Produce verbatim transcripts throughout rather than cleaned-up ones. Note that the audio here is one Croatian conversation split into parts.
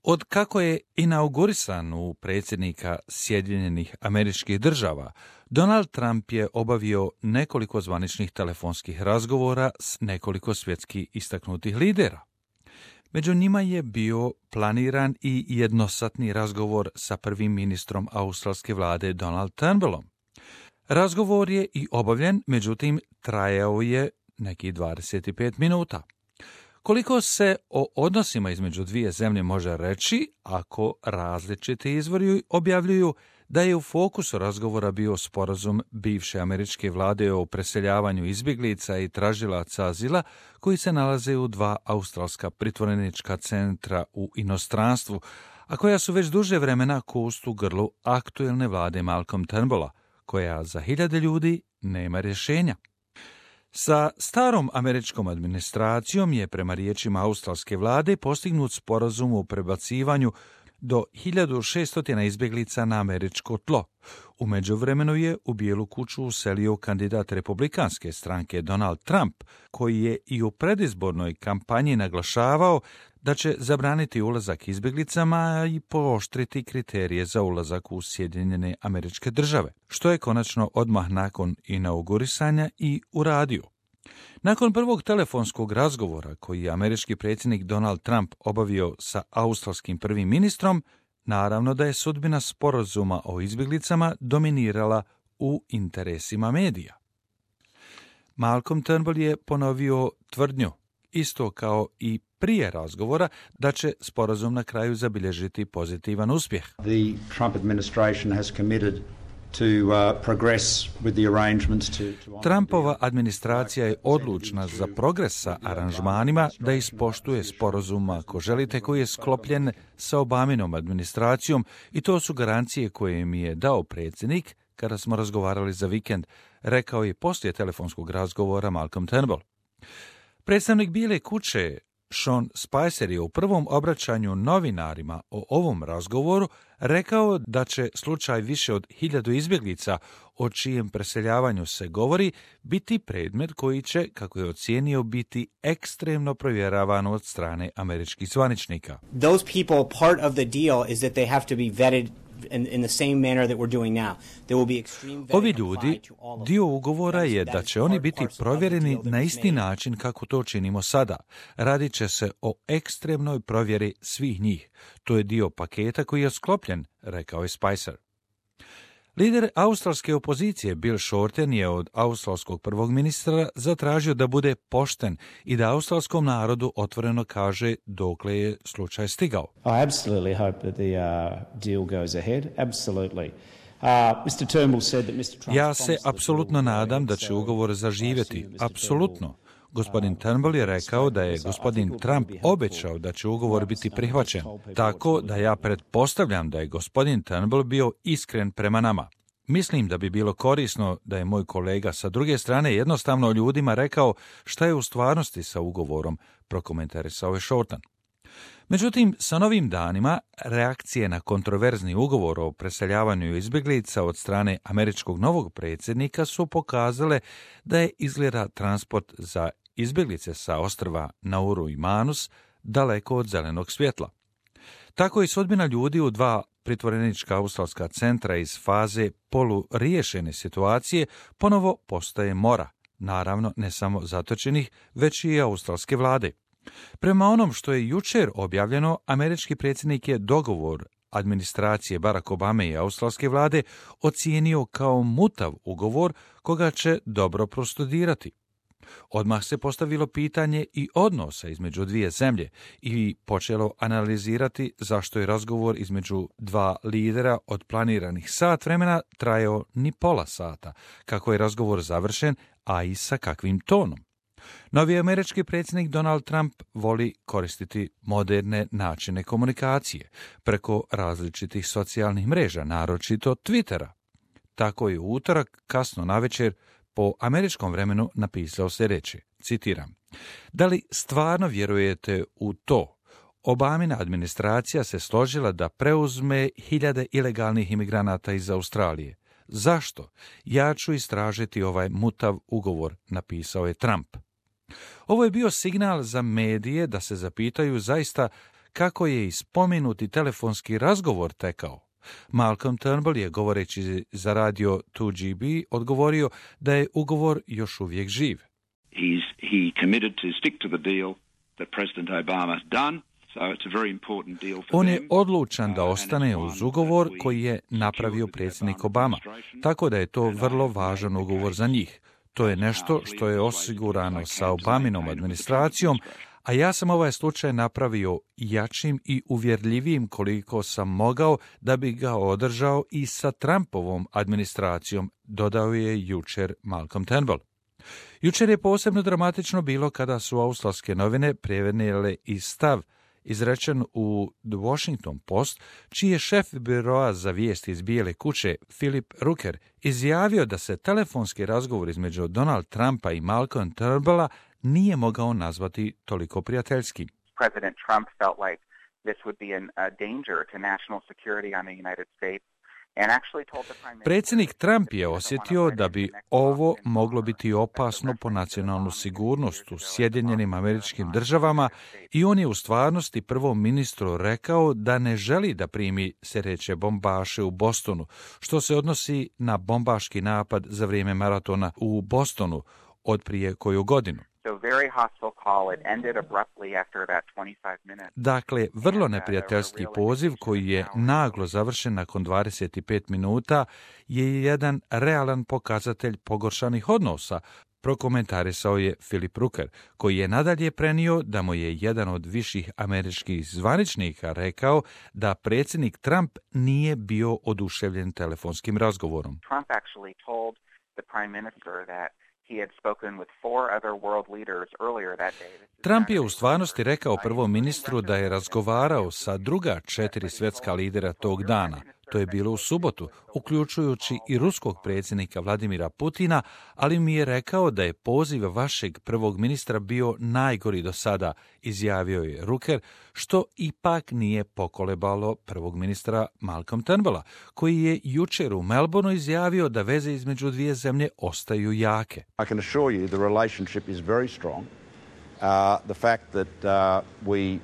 Od kako je inaugurisan u predsjednika Sjedinjenih Američkih Država, Donald Trump je obavio nekoliko zvaničnih telefonskih razgovora s nekoliko svjetskih istaknutih lidera. Među njima je bio planiran i jednosatni razgovor sa prvim ministrom australske vlade Donald Turnbullom. Razgovor je i obavljen, međutim trajao je nekih dvadeset pet minuta. Koliko se o odnosima između dvije zemlje može reći ako različiti izvori objavljuju da je u fokusu razgovora bio sporazum bivše američke vlade o preseljavanju izbjeglica i tražilaca azila koji se nalaze u dva australska pritvorenička centra u inostranstvu, a koja su već duže vremena kost u grlu aktuelne vlade Malcolm Turnbulla, koja za hiljade ljudi nema rješenja. Sa starom američkom administracijom je prema riječima australske vlade postignut sporazum o prebacivanju do hiljadu šeststo izbjeglica na američko tlo. U međuvremenu je u Bijelu kuću uselio kandidat republikanske stranke Donald Trump, koji je i u predizbornoj kampanji naglašavao da će zabraniti ulazak izbjeglicama i pooštriti kriterije za ulazak u Sjedinjene Američke Države, što je konačno odmah nakon inaugurisanja i uradio. Nakon prvog telefonskog razgovora koji je američki predsjednik Donald Trump obavio sa australskim prvim ministrom, naravno da je sudbina sporazuma o izbjeglicama dominirala u interesima medija. Malcolm Turnbull je ponovio tvrdnju, isto kao i prije razgovora, da će sporazum na kraju zabilježiti pozitivan uspjeh. The Trump administration has committed to uh, progress with the arrangements to, to Trumpova administracija je odlučna za progres sa aranžmanima da ispoštuje sporazum, ako želite, koji je sklopljen sa Obaminom administracijom, i to su garancije koje mi je dao predsjednik kada smo razgovarali za vikend, rekao je poslije telefonskog razgovora Malcolm Turnbull. Predstavnik Bijele kuće Sean Spicer je u prvom obraćanju novinarima o ovom razgovoru rekao da će slučaj više od hiljadu izbjeglica o čijem preseljavanju se govori biti predmet koji će, kako je ocijenio, biti ekstremno provjeravan od strane američkih zvaničnika. Those people, part of the deal is that they have to be vetted in, in the same manner that we're doing now. There will be extreme vetting Ovi ljudi, dio ugovora je da će oni biti provjereni na isti način kako to činimo sada. Radit će se o ekstremnoj provjeri svih njih. To je dio paketa koji je sklopljen, rekao je Spicer. Lider australske opozicije Bill Shorten je od australskog prvog ministra zatražio da bude pošten i da australskom narodu otvoreno kaže dokle je slučaj stigao. I absolutely hope that the uh, deal goes ahead. Absolutely. Uh, mister Turnbull said that mister Trump Ja se apsolutno nadam da će ugovor zaživjeti. Apsolutno. Gospodin Turnbull je rekao da je gospodin Trump obećao da će ugovor biti prihvaćen, tako da ja pretpostavljam da je gospodin Turnbull bio iskren prema nama. Mislim da bi bilo korisno da je moj kolega sa druge strane jednostavno ljudima rekao šta je u stvarnosti sa ugovorom, prokomentarisao je Shorten. Međutim, sa novim danima reakcije na kontroverzni ugovor o preseljavanju izbjeglica od strane američkog novog predsjednika su pokazale da je izgleda transport za izbjeglice sa ostrva Nauru i Manus daleko od zelenog svjetla. Tako i sudbina ljudi u dva pritvorenička australska centra iz faze poluriješene situacije ponovo postaje mora, naravno ne samo zatočenih, već i australske vlade. Prema onom što je jučer objavljeno, američki predsjednik je dogovor administracije Barack Obame i australske vlade ocijenio kao mutav ugovor koga će dobro prostudirati. Odmah se postavilo pitanje i odnosa između dvije zemlje i počelo analizirati zašto je razgovor između dva lidera od planiranih sat vremena trajao ni pola sata, kako je razgovor završen, a i sa kakvim tonom. Novi američki predsjednik Donald Trump voli koristiti moderne načine komunikacije preko različitih socijalnih mreža, naročito Twittera. Tako je u utorak kasno navečer po američkom vremenu napisao sljedeće, citiram: Da li stvarno vjerujete u to? Obamina administracija se složila da preuzme hiljade ilegalnih imigranata iz Australije. Zašto? Ja ću istražiti ovaj mutav ugovor, napisao je Trump. Ovo je bio signal za medije da se zapitaju zaista kako je i spomenuti telefonski razgovor tekao. Malcolm Turnbull je, govoreći za radio two G B, odgovorio da je ugovor još uvijek živ. He's, he committed to stick to the deal that President Obama's done. So it's a very important deal for On them. je odlučan da ostane uz ugovor koji je napravio predsjednik Obama, tako da je to vrlo važan ugovor za njih. To je nešto što je osigurano sa Obaminom administracijom, a ja sam ovaj slučaj napravio jačim i uvjerljivijim koliko sam mogao da bi ga održao i sa Trumpovom administracijom, dodao je jučer Malcolm Turnbull. Jučer je posebno dramatično bilo kada su australske novine prenijele i stav izrečen u The Washington Post, čiji je šef biroa za vijesti iz Bijele kuće, Philip Rooker, izjavio da se telefonski razgovor između Donald Trumpa i Malcolm Turnbulla nije mogao nazvati toliko prijateljskim. President Trump felt like this would be an, a danger to national security on the United States. Predsjednik Trump je osjetio da bi ovo moglo biti opasno po nacionalnu sigurnost u Sjedinjenim Američkim Državama i on je u stvarnosti prvom ministru rekao da ne želi da primi sereće bombaše u Bostonu, što se odnosi na bombaški napad za vrijeme maratona u Bostonu od prije koju godinu. Dakle, vrlo neprijateljski poziv koji je naglo završen nakon dvadeset pet minuta je jedan realan pokazatelj pogoršanih odnosa, prokomentarisao je Philip Rooker, koji je nadalje prenio da mu je jedan od viših američkih zvaničnika rekao da predsjednik Trump nije bio oduševljen telefonskim razgovorom. Trump actually told the prime minister that Trump je u stvarnosti rekao prvom ministru da je razgovarao sa druga četiri svjetska lidera tog dana. To je bilo u subotu, uključujući i ruskog predsjednika Vladimira Putina, ali mi je rekao da je poziv vašeg prvog ministra bio najgori do sada, izjavio je Rooker, što ipak nije pokolebalo prvog ministra Malcolm Turnbulla, koji je jučer u Melbourneu izjavio da veze između dvije zemlje ostaju jake. I can assure you the relationship is very strong. Uh, the fact that uh, we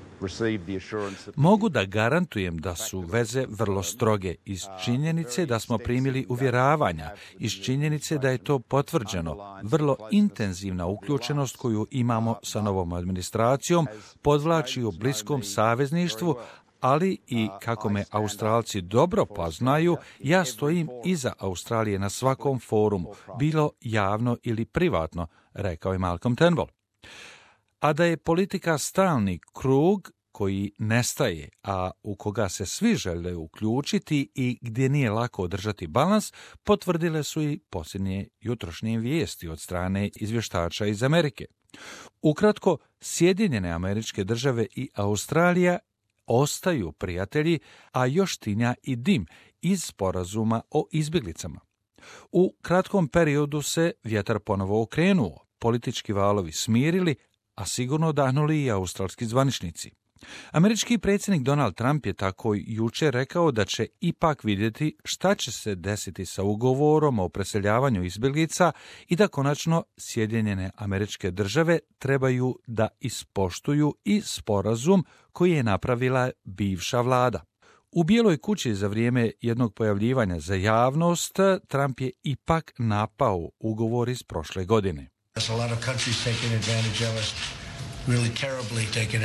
Mogu da garantujem da su veze vrlo stroge iz činjenice da smo primili uvjeravanja, iz činjenice da je to potvrđeno. Vrlo intenzivna uključenost koju imamo sa novom administracijom podvlači u bliskom savezništvu, ali i kako me Australci dobro poznaju, ja stojim iza Australije na svakom forumu, bilo javno ili privatno, rekao je Malcolm Turnbull. A da je politika stalni krug koji nestaje, a u koga se svi žele uključiti i gdje nije lako održati balans, potvrdile su i posljednje jutrošnje vijesti od strane izvještača iz Amerike. Ukratko, Sjedinjene Američke Države i Australija ostaju prijatelji, a još tinja i dim iz sporazuma o izbjeglicama. U kratkom periodu se vjetar ponovo okrenuo, politički valovi smirili, a sigurno odahnuli i australski zvaničnici. Američki predsjednik Donald Trump je tako jučer rekao da će ipak vidjeti šta će se desiti sa ugovorom o preseljavanju izbjeglica i da konačno Sjedinjene Američke Države trebaju da ispoštuju i sporazum koji je napravila bivša vlada. U Bijeloj kući za vrijeme jednog pojavljivanja za javnost Trump je ipak napao ugovor iz prošle godine.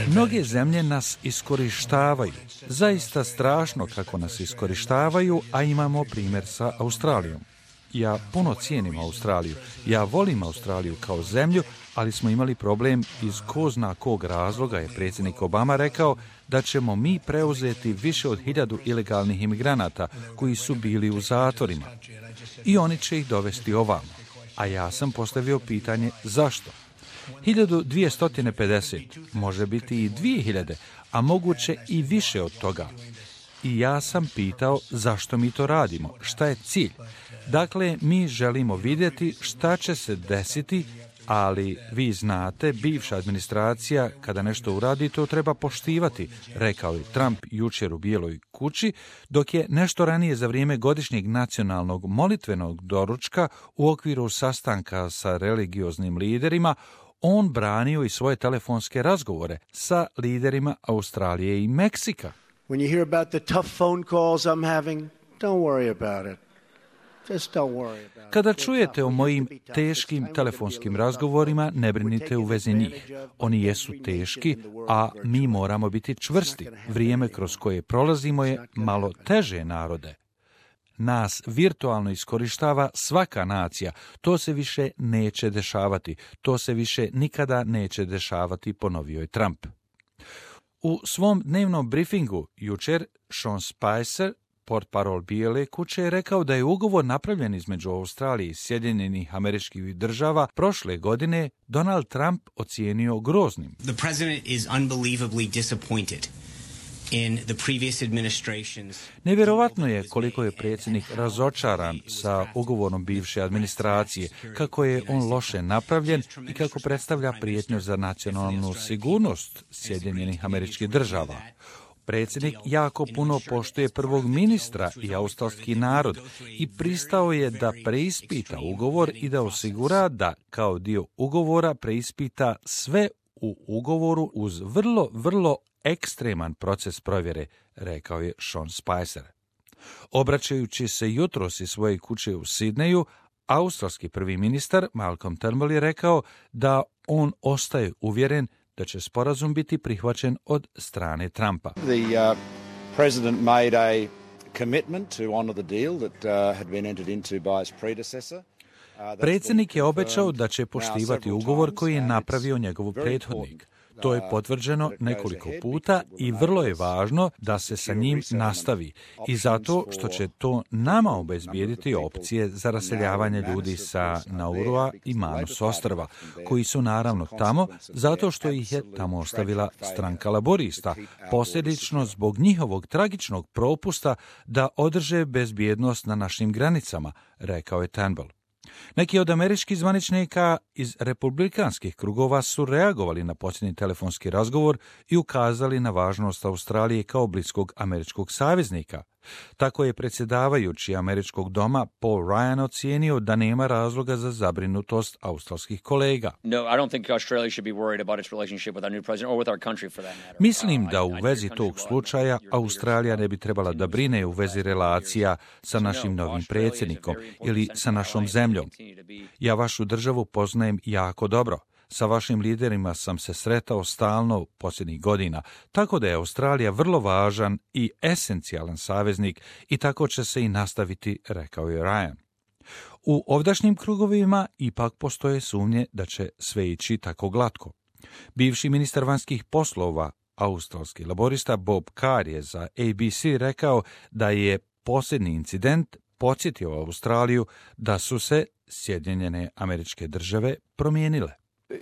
Mnoge zemlje nas iskorištavaju. Zaista strašno kako nas iskorištavaju, a imamo primjer sa Australijom. Ja puno cijenim Australiju. Ja volim Australiju kao zemlju, ali smo imali problem iz ko zna kog razloga je predsjednik Obama rekao da ćemo mi preuzeti više od hiljadu ilegalnih imigranata koji su bili u zatvorima. I oni će ih dovesti ovamo. A ja sam postavio pitanje zašto? hiljadu dvjesto pedeset, može biti i dvije hiljade, a moguće i više od toga. I ja sam pitao zašto mi to radimo, šta je cilj. Dakle, mi želimo vidjeti šta će se desiti, ali vi znate, bivša administracija kada nešto uradi, to treba poštivati, rekao je Trump jučer u Bijeloj kući, dok je nešto ranije za vrijeme godišnjeg nacionalnog molitvenog doručka u okviru sastanka sa religioznim liderima on branio i svoje telefonske razgovore sa liderima Australije i Meksika. When you hear about the tough phone calls I'm having, don't worry about it. Just don't worry about it. Kada čujete o mojim teškim telefonskim razgovorima, ne brinite u vezi njih. Oni jesu teški, a mi moramo biti čvrsti. Vrijeme kroz koje prolazimo je malo teže, narode. Nas virtualno iskorištava svaka nacija. To se više neće dešavati. To se više nikada neće dešavati, ponovio je Trump. U svom dnevnom briefingu jučer Sean Spicer, portparol Bijele kuće, je rekao da je ugovor napravljen između Australije i Sjedinjenih Američkih Država prošle godine Donald Trump ocijenio groznim. The president is unbelievably disappointed in the previous administration's... Nevjerovatno je koliko je predsjednik razočaran sa ugovorom bivše administracije, kako je on loše napravljen i kako predstavlja prijetnju za nacionalnu sigurnost Sjedinjenih Američkih Država. Predsjednik jako puno poštuje prvog ministra i australski narod i pristao je da preispita ugovor i da osigura da kao dio ugovora preispita sve u ugovoru uz vrlo, vrlo ekstreman proces provjere, rekao je Sean Spicer. Obraćajući se jutros iz svoje kuće u Sidneju, australski prvi ministar Malcolm Turnbull je rekao da on ostaje uvjeren da će sporazum biti prihvaćen od strane Trumpa. The uh, president made a commitment to honor the deal that uh, had been entered into by his predecessor. Predsjednik je obećao da će poštivati ugovor koji je napravio njegov prethodnik. To je potvrđeno nekoliko puta i vrlo je važno da se sa njim nastavi. I zato što će to nama obezbijediti opcije za raseljavanje ljudi sa Naurua i Manus ostrva, koji su naravno tamo zato što ih je tamo ostavila stranka laborista, posljedično zbog njihovog tragičnog propusta da održe bezbjednost na našim granicama, rekao je Turnbull. Neki od američkih zvaničnika iz republikanskih krugova su reagovali na posljednji telefonski razgovor i ukazali na važnost Australije kao bliskog američkog saveznika. Tako je predsjedavajući američkog doma Paul Ryan ocijenio da nema razloga za zabrinutost australskih kolega. Mislim da u vezi tog slučaja Australija ne bi trebala da brine u vezi relacija sa našim novim predsjednikom ili sa našom zemljom. Ja vašu državu poznajem jako dobro. Sa vašim liderima sam se sretao stalno posljednjih godina, tako da je Australija vrlo važan i esencijalan saveznik i tako će se i nastaviti, rekao je Ryan. U ovdašnjim krugovima ipak postoje sumnje da će sve ići tako glatko. Bivši ministar vanjskih poslova, australski laborista Bob Carr je za A B C rekao da je posljednji incident podsjetio Australiju da su se Sjedinjene Američke Države promijenile.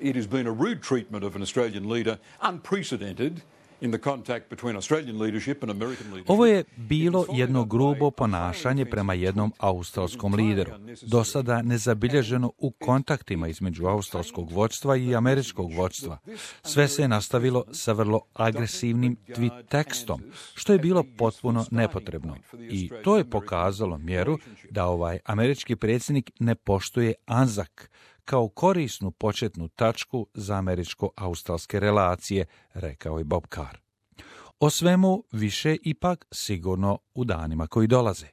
It has been a rude treatment of an Australian leader, unprecedented in the contact between Australian leadership and American leadership. Ovo je bilo jedno grubo ponašanje prema jednom australskom lideru, do sada nezabilježeno u kontaktima između australskog vođstva i američkog vođstva. Sve se je nastavilo sa vrlo agresivnim tweet tekstom, što je bilo potpuno nepotrebno. I to je pokazalo mjeru da ovaj američki predsjednik ne poštuje Anzak kao korisnu početnu tačku za američko-australske relacije, rekao je Bob Carr. O svemu više ipak sigurno u danima koji dolaze.